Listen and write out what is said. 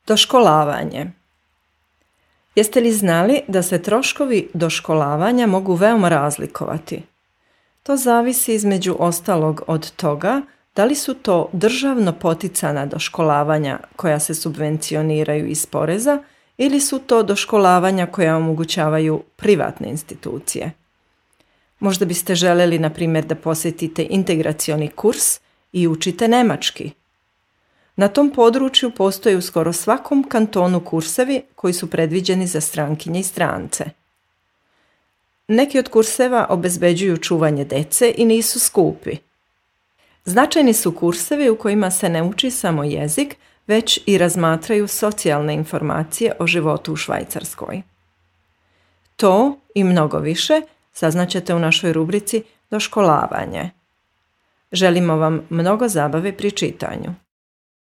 Doškolavanje. Jeste li znali da se troškovi doškolavanja mogu veoma razlikovati? To zavisi između ostalog od toga da li su to državno poticana doškolavanja koja se subvencioniraju iz poreza ili su to doškolavanja koja omogućavaju privatne institucije. Možda biste željeli, na primjer, da posjetite integracioni kurs i učite nemački. Na tom području postoje u skoro svakom kantonu kursevi koji su predviđeni za strankinje i strance. Neki od kurseva obezbeđuju čuvanje dece i nisu skupi. Značajni su kursevi u kojima se ne uči samo jezik, već i razmatraju socijalne informacije o životu u Švajcarskoj. To i mnogo više saznaćete u našoj rubrici Doškolavanje. Želimo vam mnogo zabave pri čitanju.